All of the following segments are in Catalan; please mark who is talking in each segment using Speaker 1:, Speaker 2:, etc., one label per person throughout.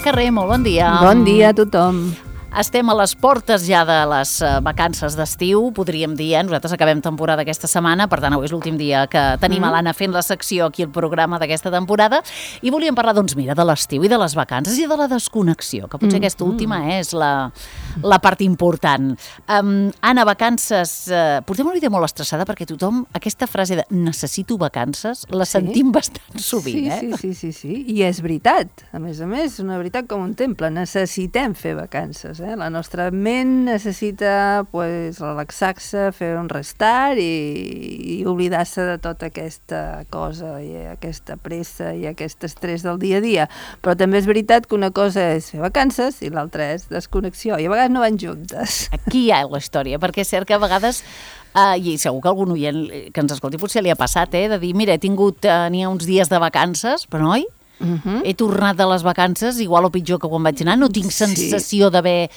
Speaker 1: Carrer, molt bon dia.
Speaker 2: Bon dia a tothom.
Speaker 1: Estem a les portes ja de les vacances d'estiu, podríem dir, Nosaltres acabem temporada aquesta setmana, per tant, avui és l'últim dia que tenim a l'Anna fent la secció aquí al programa d'aquesta temporada, i volíem parlar, doncs mira, de l'estiu i de les vacances i de la desconnexió, que potser aquesta última és la part important. Anna, vacances, portem una vida molt estressada perquè tothom, aquesta frase de necessito vacances, la sentim bastant sovint,
Speaker 2: Sí, i és veritat. A més, una veritat com un temple. Necessitem fer vacances. La nostra ment necessita relaxar-se, fer un restart i oblidar-se de tota aquesta cosa i aquesta pressa i aquest estrès del dia a dia. Però també és veritat que una cosa és fer vacances i l'altra és desconnexió. I a vegades no van juntes.
Speaker 1: Aquí hi ha la història, perquè és cert que a vegades i segur que algun oient que ens escolti potser li ha passat, de dir, mira, n'hi ha uns dies de vacances, però noi, he tornat de les vacances igual o pitjor que quan vaig anar, no tinc sensació d'haver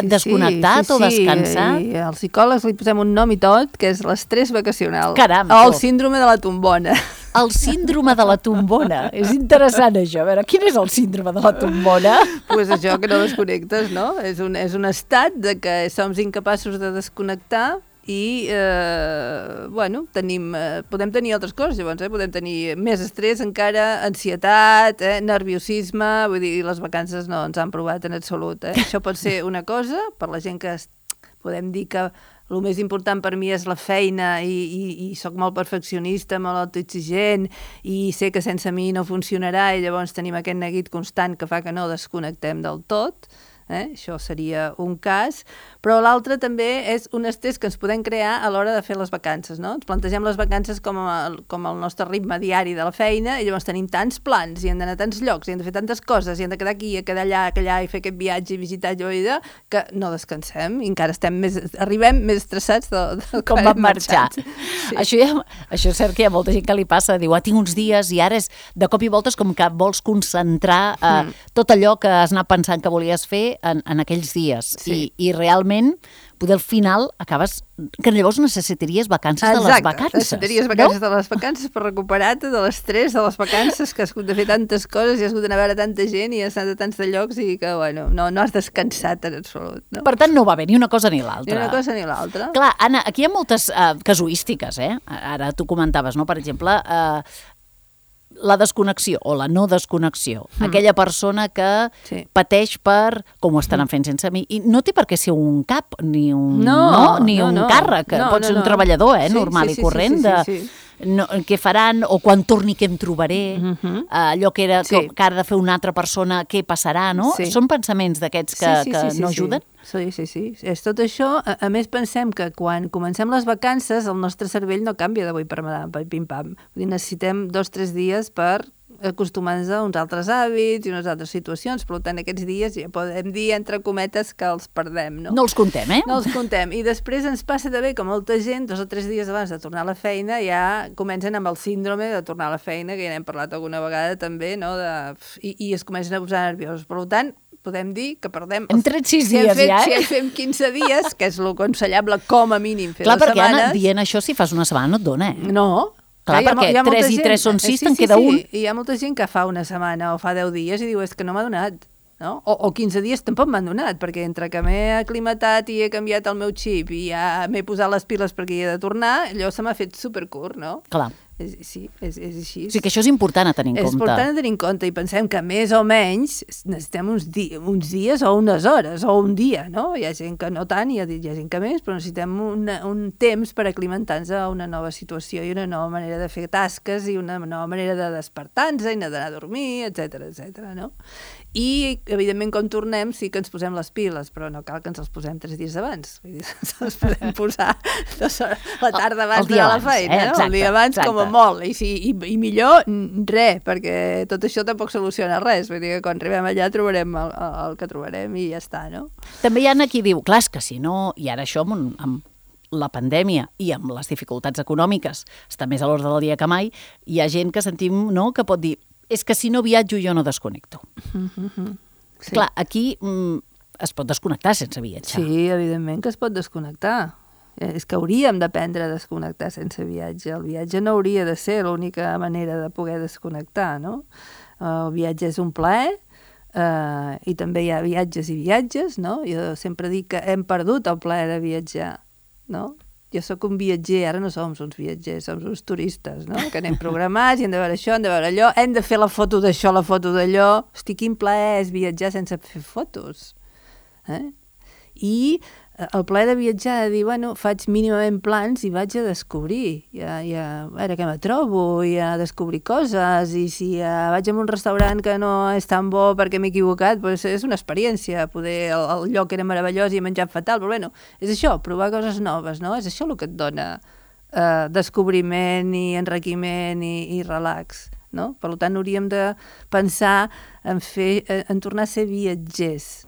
Speaker 1: desconnectat o descansat.
Speaker 2: I als psicòlegs li posem un nom i tot, que és l'estrès vacacional.
Speaker 1: Caram,
Speaker 2: o el síndrome de la tombona.
Speaker 1: El síndrome de la tombona. És interessant això. A veure, quin és el síndrome de la tombona?
Speaker 2: Doncs això, que no desconnectes, no? És un estat de que som incapaços de desconnectar i, podem tenir altres coses, llavors, podem tenir més estrès encara, ansietat, nerviosisme, vull dir, les vacances no ens han provat en absolut. Això pot ser una cosa, per la gent que podem dir que el més important per mi és la feina i soc molt perfeccionista, molt autoexigent i sé que sense mi no funcionarà i llavors tenim aquest neguit constant que fa que no desconnectem del tot. Això seria un cas, però l'altre també és un estrès que ens podem crear a l'hora de fer les vacances, no? Ens plantegem les vacances com el nostre ritme diari de la feina i llavors tenim tants plans i hem d'anar a tants llocs i hem de fer tantes coses i hem de quedar aquí, a quedar allà i fer aquest viatge i visitar allò i que no descansem i encara arribem més estressats de
Speaker 1: com vam marxar. Sí. Això és cert que hi ha molta gent que li passa, diu, tinc uns dies i ara és de cop i volta és com que vols concentrar tot allò que has anat pensant que volies fer en aquells dies.
Speaker 2: Sí.
Speaker 1: I realment, poder al final acabes... que llavors necessitaries vacances de les vacances.
Speaker 2: Exacte, necessitaries vacances de les vacances per recuperar-te de l'estrès de les vacances, que has hagut de fer tantes coses i has hagut d'anar a veure tanta gent i has anat a tants de llocs i que, no has descansat en absolut. No?
Speaker 1: Per tant, no va bé ni una cosa ni l'altra.
Speaker 2: Ni una cosa ni l'altra.
Speaker 1: Clar, Anna, aquí hi ha moltes casuístiques, Ara tu comentaves, no? Per exemple, la desconnexió o la no desconnexió. Aquella persona que pateix per com ho estan fent sense mi. I no té per què ser un cap, ni un càrrec. Pot ser un treballador normal i corrent què faran o quan torni què em trobaré, allò que ha de fer una altra persona, què passarà, no?
Speaker 2: Sí.
Speaker 1: Són pensaments d'aquests que no ajuden?
Speaker 2: Sí. És tot això. A més, pensem que quan comencem les vacances el nostre cervell no canvia d'avui per pim-pam. Necessitem 2-3 dies per acostumar-nos a uns altres hàbits i unes altres situacions. Per tant, aquests dies ja podem dir, entre cometes, que els perdem, no?
Speaker 1: No els contem,
Speaker 2: No els contem. I després ens passa també que molta gent, 2 o 3 dies abans de tornar a la feina, ja comencen amb el síndrome de tornar a la feina, que ja n'hem parlat alguna vegada també, no? I es comencen a posar nerviosos. Per tant, podem dir que perdem...
Speaker 1: Hem tret 6 dies,
Speaker 2: Si fem 15 dies, que és el aconsellable com a mínim fer
Speaker 1: les setmanes... Clar, perquè, Anna, dient això, si fas una setmana no et dona,
Speaker 2: No.
Speaker 1: Clar, perquè 3 i 3 són 6, te'n queda un.
Speaker 2: I hi ha molta gent que fa una setmana o fa 10 dies i diu, és que no m'ha donat. No? O 15 dies tampoc m'han donat, perquè entre que m'he aclimatat i he canviat el meu xip i ja m'he posat les piles perquè hi he de tornar, allò se m'ha fet supercurt, no?
Speaker 1: Clar.
Speaker 2: Sí, és així.
Speaker 1: O sigui que això és important a tenir en compte.
Speaker 2: És important a tenir en compte i pensem que més o menys necessitem uns dies o unes hores o un dia, no? Hi ha gent que no tant, hi ha gent que més, però necessitem un temps per aclimentar-nos a una nova situació i una nova manera de fer tasques i una nova manera de despertar-nos i d'anar a dormir, etc, no? I, evidentment, quan tornem sí que ens posem les piles, però no cal que ens els posem 3 dies abans. Vull dir, ens els podem posar la tarda abans de la feina, no? El dia abans com a molt. I millor res, perquè tot això tampoc soluciona res. Vull dir que quan arribem allà trobarem el que trobarem i ja està, no?
Speaker 1: També hi ha qui diu, clar, és que si no, i ara això amb la pandèmia i amb les dificultats econòmiques està més a l'ordre del dia que mai, hi ha gent que sentim, no?, que pot dir és que si no viatjo jo no desconnecto.
Speaker 2: Sí.
Speaker 1: Clar, aquí es pot desconnectar sense viatjar.
Speaker 2: Sí, evidentment que es pot desconnectar. És que hauríem d'aprendre a desconnectar sense viatge. El viatge no hauria de ser l'única manera de poder desconnectar, no? El viatge és un plaer, i també hi ha viatges i viatges, no? Jo sempre dic que hem perdut el plaer de viatjar, no? Jo sóc un viatger, ara no som uns viatgers, som uns turistes, no? Que anem programats i hem de veure això, hem de veure allò, hem de fer la foto d'això, la foto d'allò. Hosti, quin plaer és viatjar sense fer fotos. I el plaer de viatjar, de dir, bueno, faig mínimament plans i vaig a descobrir, a veure què me trobo, i a descobrir coses, i si vaig a un restaurant que no és tan bo perquè m'he equivocat, doncs és una experiència, poder el lloc era meravellós i he menjat fatal, però bueno, és això, provar coses noves, no? És això el que et dona descobriment i enriquiment i relax, no? Per tant, hauríem de pensar en tornar a ser viatgers,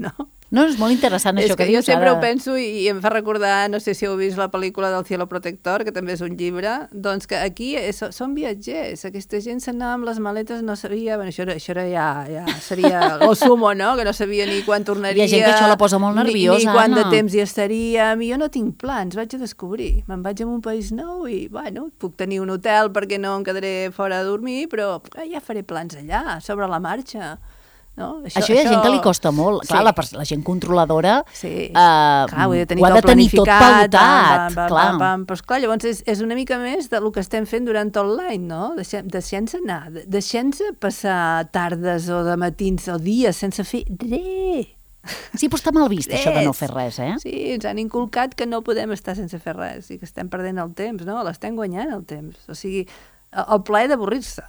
Speaker 2: no?
Speaker 1: No, és molt interessant això que dius.
Speaker 2: Jo sempre ho penso i em fa recordar, no sé si heu vist la pel·lícula del Cielo Protector, que també és un llibre, doncs que aquí són viatgers, aquesta gent s'anava amb les maletes, no sabia, bueno, això ja seria el sumo, no? Que no sabia ni quan tornaria.
Speaker 1: Hi ha gent que això la posa molt nerviosa,
Speaker 2: ni quant de temps hi estaríem, i jo no tinc plans, vaig a descobrir, me'n vaig a un país nou i, bueno, puc tenir un hotel perquè no em quedaré fora a dormir, però ja faré plans allà, sobre la marxa. No?
Speaker 1: Això hi ha gent que li costa molt. Clar, la gent controladora
Speaker 2: clar, ho
Speaker 1: ha de tenir tot pautat.
Speaker 2: Però esclar, llavors és una mica més del que estem fent durant tot l'any, no? Deixem-nos anar, deixem-nos passar tardes o de matins o dies sense fer res.
Speaker 1: Sí, però està mal vist això de no fer res, eh?
Speaker 2: Sí, ens han inculcat que no podem estar sense fer res i que estem perdent el temps, no? L'estem guanyant el temps. O sigui, el plaer d'avorrir-se.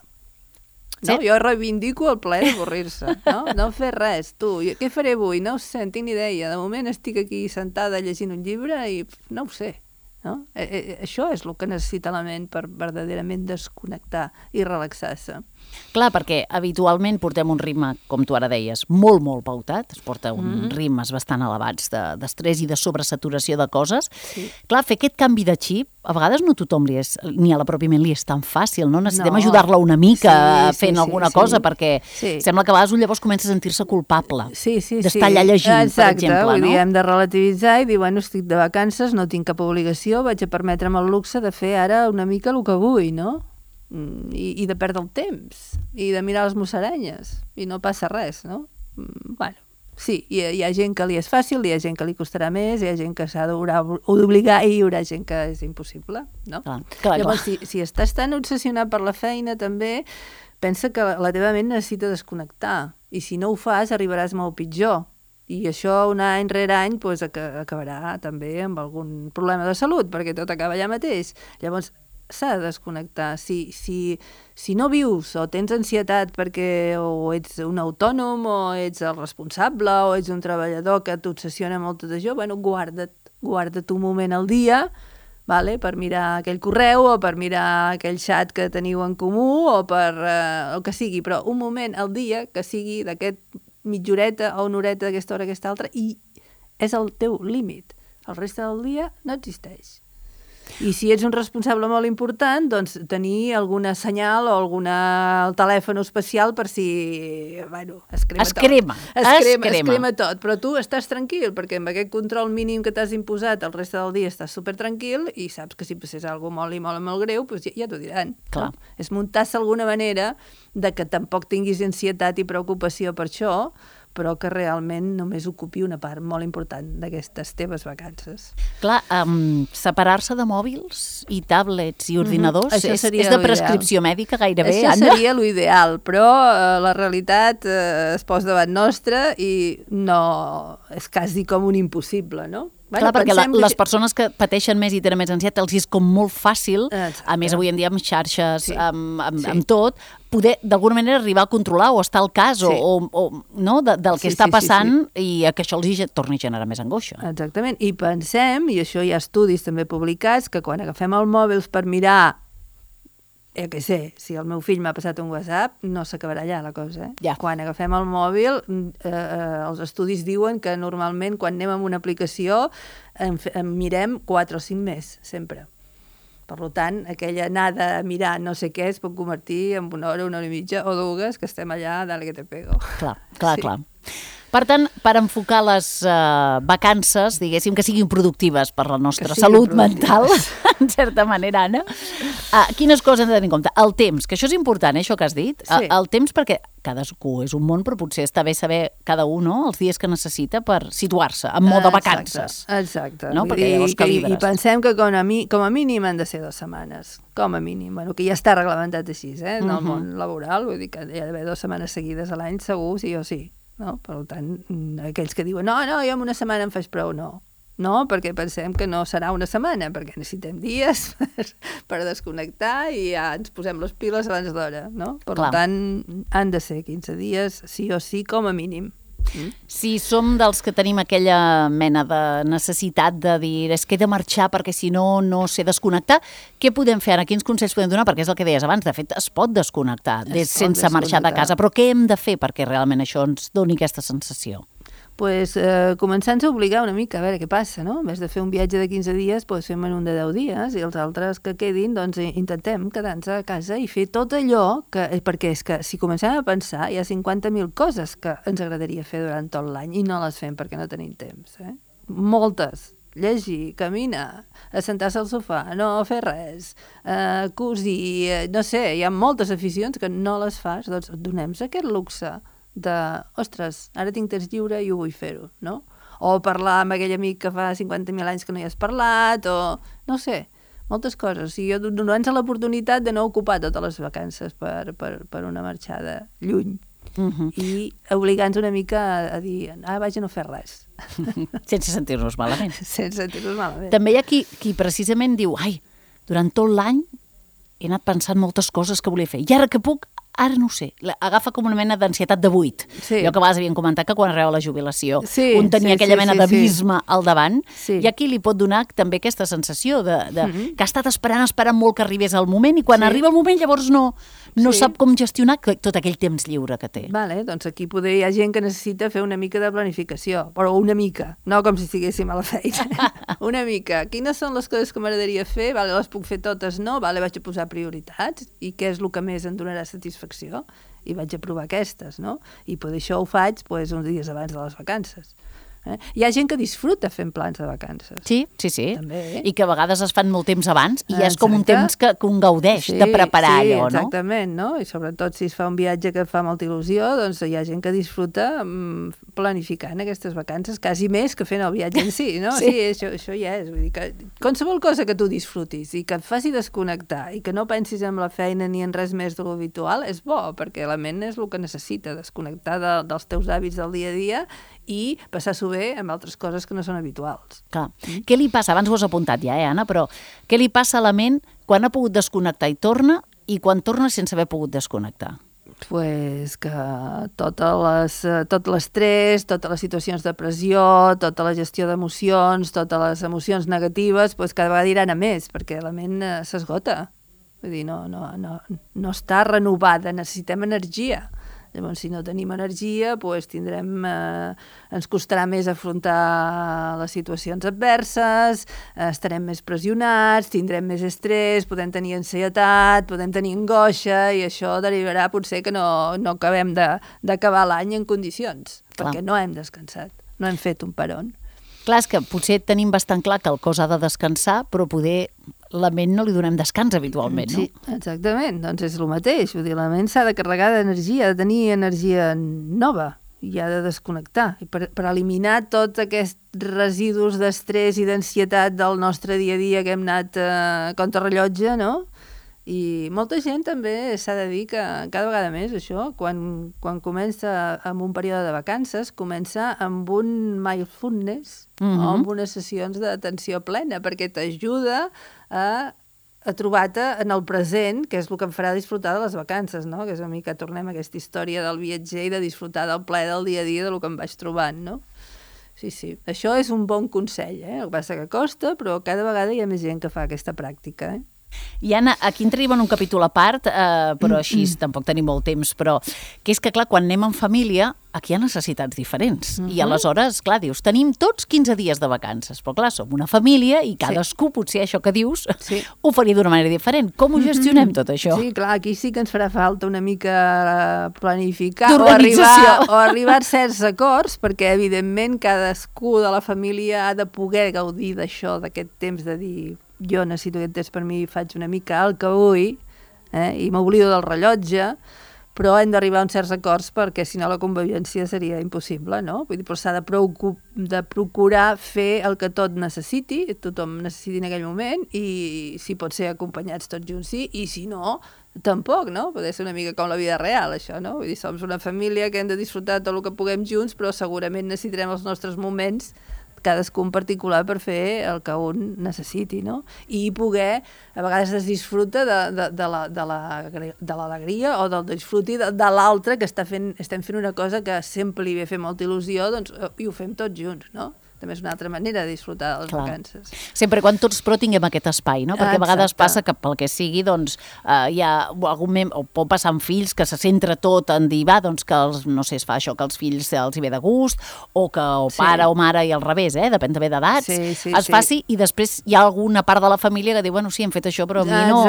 Speaker 2: No? Sí. Jo reivindico el plaer d'avorrir-se, no fer res. Què faré avui? No ho sé, en tinc ni idea. De moment estic aquí sentada llegint un llibre i no ho sé. No? Això és el que necessita la ment per verdaderament desconnectar i relaxar-se.
Speaker 1: Clar, perquè habitualment portem un ritme, com tu ara deies, molt, molt pautat. Es porta uns ritmes bastant elevats d'estrès i de sobresaturació de coses. Sí. Clar, fer aquest canvi de xip, a vegades no tothom ni a la pròpia ment li és tan fàcil, no? Necessitem ajudar-la una mica fent alguna cosa, perquè sembla que a vegades un llavors comença a sentir-se culpable d'estar allà llegint, per exemple.
Speaker 2: Vull dir, hem de relativitzar i dir, bueno, estic de vacances, no tinc cap obligació, vaig a permetre'm el luxe de fer ara una mica el que vull, no? I de perdre el temps, i de mirar les musaranyes, i no passa res, no? Bueno, sí, hi ha gent que li és fàcil, hi ha gent que li costarà més, hi ha gent que s'ha d'obligar i hi haurà gent que és impossible, no? Llavors, si estàs tan obsessionat per la feina, també pensa que la teva ment necessita desconnectar, i si no ho fas arribaràs molt pitjor. I això un any rere any acabarà també amb algun problema de salut, perquè tot acaba allà mateix. Llavors, s'ha de desconnectar. Si no vius o tens ansietat perquè o ets un autònom o ets el responsable o ets un treballador que t'obsessiona molt tot això, bueno, guarda't un moment al dia, per mirar aquell correu o per mirar aquell xat que teniu en comú o per el que sigui, però un moment al dia que sigui d'aquest mitja horeta o una horeta d'aquesta hora, aquesta altra, i és el teu límit. El reste del dia no existeix. I si ets un responsable molt important, doncs tenir alguna senyal o el telèfon especial per si, es crema tot. Però tu estàs tranquil, perquè amb aquest control mínim que t'has imposat el reste del dia estàs supertranquil i saps que si passés alguna cosa molt greu, doncs ja t'ho diran.
Speaker 1: Clar.
Speaker 2: No? És muntar-se alguna manera de que tampoc tinguis ansietat i preocupació per això, però que realment només ocupi una part molt important d'aquestes teves vacances.
Speaker 1: Clar, separar-se de mòbils i tablets i ordinadors és de prescripció mèdica gairebé,
Speaker 2: Anna? Això seria l'ideal, però la realitat es posa davant nostra i no és quasi com un impossible, no?
Speaker 1: Clar, perquè les persones que pateixen més i tenen més ansietat els és com molt fàcil, a més avui en dia amb xarxes, amb tot, poder d'alguna manera arribar a controlar o estar al cas del que està passant i que això els torni a generar més angoixa.
Speaker 2: Exactament, i pensem, i això hi ha estudis també publicats, que quan agafem el mòbil per mirar si el meu fill m'ha passat un WhatsApp, no s'acabarà allà la cosa.
Speaker 1: Ja.
Speaker 2: Quan agafem el mòbil, els estudis diuen que normalment quan anem amb una aplicació en mirem 4 o 5 més, sempre. Per tant, aquella anada a mirar no sé què es pot convertir en una hora i mitja o 2 que estem allà, dale que te pego.
Speaker 1: Clar. Per tant, per enfocar les vacances, diguéssim, que siguin productives per la nostra salut mental, en certa manera, Anna. Quines coses hem de tenir en compte? El temps, que això és important, això que has dit.
Speaker 2: Sí.
Speaker 1: El temps, perquè cadascú és un món, però potser està bé saber cada un, no?, els dies que necessita per situar-se en mode vacances.
Speaker 2: Exacte.
Speaker 1: No? Perquè llavors calibres.
Speaker 2: I pensem que com a mínim han de ser 2 setmanes. Com a mínim. Bueno, que ja està reglamentat així, en el món laboral. Vull dir que hi ha d'haver 2 setmanes seguides a l'any, segur, sí o sí. No? Per tant, aquells que diuen no, jo en una setmana em faig prou, no. No, perquè pensem que no serà una setmana, perquè necessitem dies per desconnectar i ja ens posem les piles abans d'hora, no? Per tant, han de ser 15 dies, sí o sí, com a mínim.
Speaker 1: Si som dels que tenim aquella mena de necessitat de dir és que he de marxar perquè si no, no sé desconnectar, què podem fer ara? Quins consells podem donar? Perquè és el que deies abans, de fet es pot desconnectar sense marxar de casa, però què hem de fer perquè realment això ens doni aquesta sensació?
Speaker 2: Pues, començant a obligar una mica a veure què passa, no? En vez de fer un viatge de 15 dies, pues, fem un de 10 dies i els altres que quedin, doncs intentem quedar-nos a casa i fer tot allò que... Perquè és que si comencem a pensar hi ha 50.000 coses que ens agradaria fer durant tot l'any i no les fem perquè no tenim temps, Moltes. Llegir, caminar, assentar-se al sofà, no fer res, cosir, no sé, hi ha moltes aficions que no les fas, doncs donem-nos aquest luxe de, ostres, ara tinc temps lliure i ho vull fer-ho, no? O parlar amb aquell amic que fa 50.000 anys que no hi has parlat, o no sé, moltes coses. O sigui, donant-se l'oportunitat de no ocupar totes les vacances per una marxada lluny. I obligant-nos una mica a dir, vaig a no fer res.
Speaker 1: Sense sentir-nos malament.
Speaker 2: Sense sentir-nos malament.
Speaker 1: També hi ha qui precisament diu, durant tot l'any he anat pensant moltes coses que volia fer, i ara que puc, ara no ho sé, agafa com una mena d'ansietat de buit. Sí. Allò que a vegades havien comentat que quan arribava la jubilació un tenia aquella mena d'abisme al davant, i aquí li pot donar també aquesta sensació que ha estat esperant molt que arribés el moment i quan arriba el moment llavors no sap com gestionar tot aquell temps lliure que té.
Speaker 2: Vale, doncs aquí poder hi ha gent que necessita fer una mica de planificació, però una mica, no com si estiguéssim a la feina. Una mica. Quines són les coses que m'agradaria fer? Vale, les puc fer totes, no? Vale, vaig a posar prioritats i què és el que més em donarà satisfacció i vaig a provar aquestes, no? I per això ho faig uns dies abans de les vacances. Hi ha gent que disfruta fent plans de vacances.
Speaker 1: Sí.
Speaker 2: També.
Speaker 1: I que a vegades es fan molt temps abans i és com un temps que un gaudeix de preparar allò, no?
Speaker 2: Sí, exactament, no? I sobretot si es fa un viatge que fa molta il·lusió, doncs hi ha gent que disfruta planificant aquestes vacances quasi més que fent el viatge en si, no? Sí, això ja és. Vull dir que qualsevol cosa que tu disfrutis i que et faci desconnectar i que no pensis en la feina ni en res més de lo habitual és bo, perquè la ment és el que necessita, desconnectar dels teus hàbits del dia a dia i passar-s'ho bé amb altres coses que no són habituals.
Speaker 1: Clar. Què li passa? Abans ho has apuntat ja, Anna, però què li passa a la ment quan ha pogut desconnectar i torna i quan torna sense haver pogut desconnectar?
Speaker 2: Pues que tot l'estrès, totes les situacions de pressió, tota la gestió d'emocions, totes les emocions negatives, pues cada vegada iran a més, perquè la ment s'esgota. Vull dir, no està renovada, necessitem energia. Llavors, si no tenim energia, doncs ens costarà més afrontar les situacions adverses, estarem més pressionats, tindrem més estrès, podem tenir ansietat, podem tenir angoixa, i això derivarà potser que no acabem d'acabar l'any en condicions, perquè no hem descansat, no hem fet un peron.
Speaker 1: Clar, és que potser tenim bastant clar que el cos ha de descansar, però poder la ment no li donem descans habitualment, no?
Speaker 2: Sí, exactament, doncs és el mateix. Vull dir, la ment s'ha de carregar d'energia, ha de tenir energia nova i ha de desconnectar. I per eliminar tots aquests residus d'estrès i d'ansietat del nostre dia a dia que hem anat contra rellotge, no? I molta gent també s'ha de dir que cada vegada més això, quan comença amb un període de vacances, comença amb un mindfulness o amb unes sessions d'atenció plena, perquè t'ajuda a trobar-te en el present, que és el que em farà disfrutar de les vacances, no? Que és una mica, tornem a aquesta història del viatger i de disfrutar del plaer del dia a dia, del que em vaig trobant, no? Sí, això és un bon consell, El que passa que costa, però cada vegada hi ha més gent que fa aquesta pràctica,
Speaker 1: I Anna, aquí entraríem en un capítol a part, però així tampoc tenim molt temps, però que és que, clar, quan anem en família, aquí hi ha necessitats diferents. I aleshores, clar, dius, tenim tots 15 dies de vacances, però clar, som una família i cadascú, potser això que dius, ho faria d'una manera diferent. Com ho gestionem tot això?
Speaker 2: Sí, clar, aquí sí que ens farà falta una mica planificar o arribar a certs acords, perquè evidentment cadascú de la família ha de poder gaudir d'això, d'aquest temps de dir jo necessito aquest temps per mi, faig una mica el que vull, i m'oblido del rellotge, però hem d'arribar a uns certs acords perquè si no la convivència seria impossible, no? Vull dir, però s'ha de procurar fer el que tothom necessiti en aquell moment i si pot ser acompanyats tots junts sí, i si no, tampoc, no? Poder ser una mica com la vida real, això, no? Vull dir, som una família que hem de disfrutar tot el que puguem junts, però segurament necessitarem els nostres moments cadascú en particular per fer el que un necessiti, no? I poder, a vegades es disfruta de l'alegria o del disfruti de l'altre que estem fent una cosa que sempre li ve fer molta il·lusió, doncs, i ho fem tots junts, no? També és una altra manera de disfrutar de les vacances.
Speaker 1: Sempre quan tots però tinguem aquest espai, no? Perquè a vegades passa que pel que sigui, doncs, hi ha algun o pot passar amb fills que se centra tot en dir, doncs que no sé, es fa això, que els fills els hi ve de gust, o que pare o mare i al revés, depèn també d'edats, es faci i després hi ha alguna part de la família que diu, bueno, sí, hem fet això, però a mi no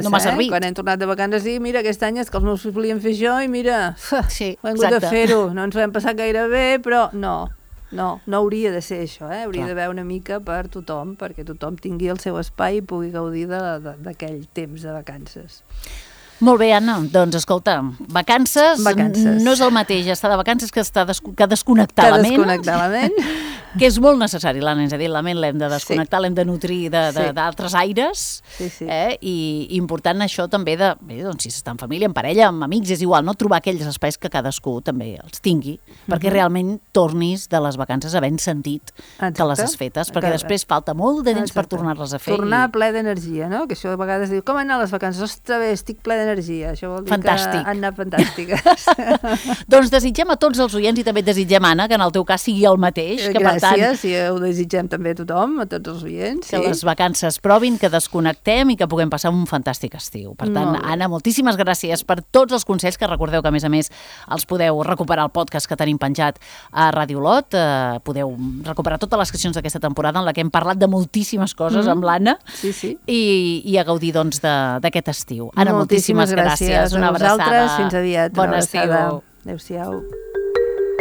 Speaker 1: m'ha servit.
Speaker 2: Quan hem tornat de vacances i mira, aquest any és que els meus fills volien fer això i mira, hem hagut de fer-ho, no ens ho hem passat gaire bé, però no hauria de ser això, hauria d'haver una mica per tothom, perquè tothom tingui el seu espai i pugui gaudir d'aquell temps de vacances.
Speaker 1: Molt bé, Anna, doncs escolta, vacances no és el mateix estar de vacances que desconnectar la ment, que és molt necessari, l'Anna ens ha dit, la ment l'hem de desconnectar, l'hem de nutrir d'altres aires, i important això també doncs si s'està en família, en parella, amb amics, és igual, no trobar aquells espais que cadascú també els tingui, perquè realment tornis de les vacances havent sentit que les has fetes, perquè després falta molt de temps per tornar-les a fer.
Speaker 2: Tornar ple d'energia, no? Que això a vegades diu, com han anat les vacances? Ostres, bé, estic ple d'energia. Això vol dir que han anat fantàstiques.
Speaker 1: Doncs desitgem a tots els oients i també desitgem, Anna, que en el teu cas sigui el mateix.
Speaker 2: Gràcies, i ho desitgem també a tothom, a tots els oients.
Speaker 1: Que les vacances provin, que desconnectem i que puguem passar un fantàstic estiu. Per tant, Anna, moltíssimes gràcies per tots els consells, que recordeu que a més els podeu recuperar al podcast que tenim penjat a Radio Olot. Podeu recuperar totes les seccions d'aquesta temporada en la que hem parlat de moltíssimes coses amb l'Anna i a gaudir doncs d'aquest estiu. Anna, moltíssimes gràcies. Una abraçada.
Speaker 2: Fins aviat.
Speaker 1: Bon estiu.
Speaker 2: Adéu-siau.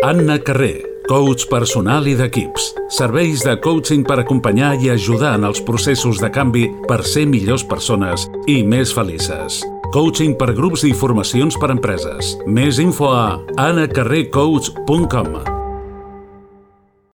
Speaker 3: Anna Carré, coach personal i d'equips. Serveis de coaching per acompanyar i ajudar en els processos de canvi per ser millors persones i més felices. Coaching per grups i formacions per empreses. Més info a anacarrecoach.com.